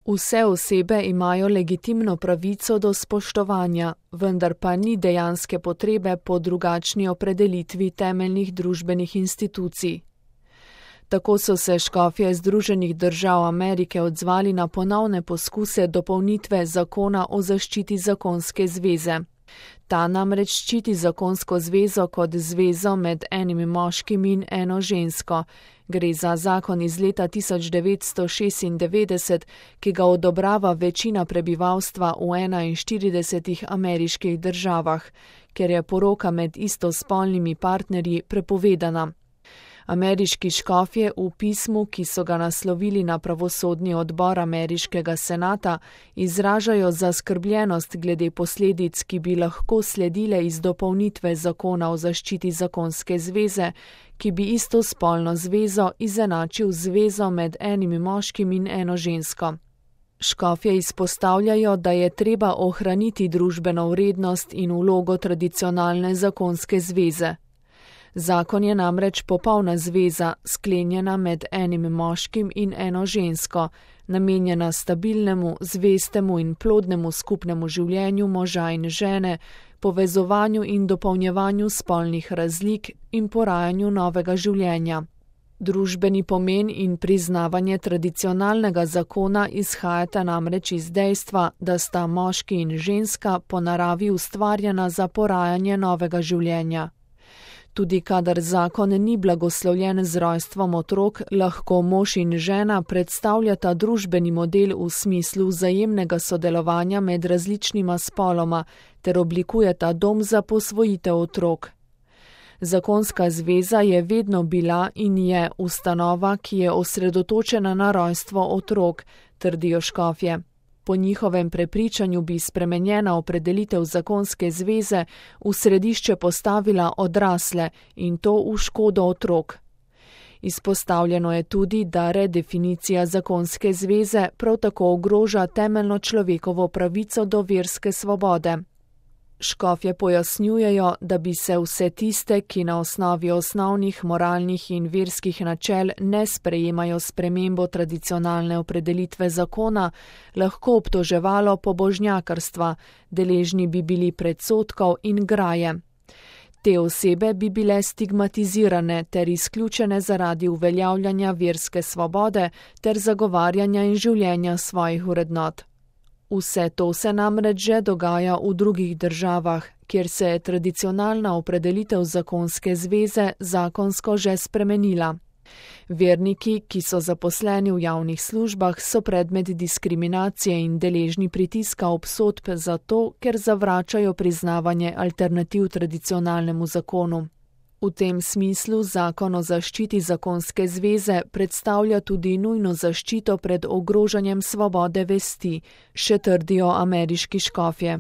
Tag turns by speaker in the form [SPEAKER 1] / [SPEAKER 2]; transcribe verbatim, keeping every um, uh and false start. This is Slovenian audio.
[SPEAKER 1] Vse osebe imajo legitimno pravico do spoštovanja, vendar pa ni dejanske potrebe po drugačni opredelitvi temeljnih družbenih institucij. Tako so se škofje Združenih držav Amerike odzvali na ponovne poskuse dopolnitve zakona o zaščiti zakonske zveze. Ta namreč ščiti zakonsko zvezo kot zvezo med enim moškim in eno žensko. Gre za zakon iz leta tisoč devetsto šestindevetdeset, ki ga odobrava večina prebivalstva v enainštiridesetih ameriških državah, ker je poroka med istospolnimi partnerji prepovedana. Ameriški škofje v pismu, ki so ga naslovili na pravosodni odbor ameriškega senata, izražajo zaskrbljenost glede posledic, ki bi lahko sledile iz dopolnitve zakona o zaščiti zakonske zveze, ki bi istospolno zvezo izenačil zvezo med enim moškim in eno žensko. Škofje izpostavljajo, da je treba ohraniti družbeno vrednost in vlogo tradicionalne zakonske zveze. Zakon je namreč popolna zveza, sklenjena med enim moškim in eno žensko, namenjena stabilnemu, zvestemu in plodnemu skupnemu življenju moža in žene, povezovanju in dopolnjevanju spolnih razlik in porajanju novega življenja. Družbeni pomen in priznavanje tradicionalnega zakona izhajata namreč iz dejstva, da sta moški in ženska po naravi ustvarjena za porajanje novega življenja. Tudi kadar zakon ni blagoslovljen z rojstvom otrok, lahko mož in žena predstavljata družbeni model v smislu vzajemnega sodelovanja med različnima spoloma ter oblikujeta dom za posvojitev otrok. Zakonska zveza je vedno bila in je ustanova, ki je osredotočena na rojstvo otrok, trdijo škofje. Po njihovem prepričanju bi spremenjena opredelitev zakonske zveze v središče postavila odrasle in to v škodo otrok. Izpostavljeno je tudi, da redefinicija zakonske zveze prav tako ogroža temeljno človekovo pravico do verske svobode. Škofje pojasnjujejo, da bi se vse tiste, ki na osnovi osnovnih moralnih in verskih načel ne sprejemajo spremembo tradicionalne opredelitve zakona, lahko obtoževalo pobožnjakarstva, deležni bi bili predsodkov in graje. Te osebe bi bile stigmatizirane ter izključene zaradi uveljavljanja verske svobode ter zagovarjanja in življenja svojih vrednot. Vse to se namreč že dogaja v drugih državah, kjer se je tradicionalna opredelitev zakonske zveze zakonsko že spremenila. Verniki, ki so zaposleni v javnih službah, so predmet diskriminacije in deležni pritiska obsodb zato, ker zavračajo priznavanje alternativ tradicionalnemu zakonu. V tem smislu zakon o zaščiti zakonske zveze predstavlja tudi nujno zaščito pred ogrožanjem svobode vesti, še trdijo ameriški škofje.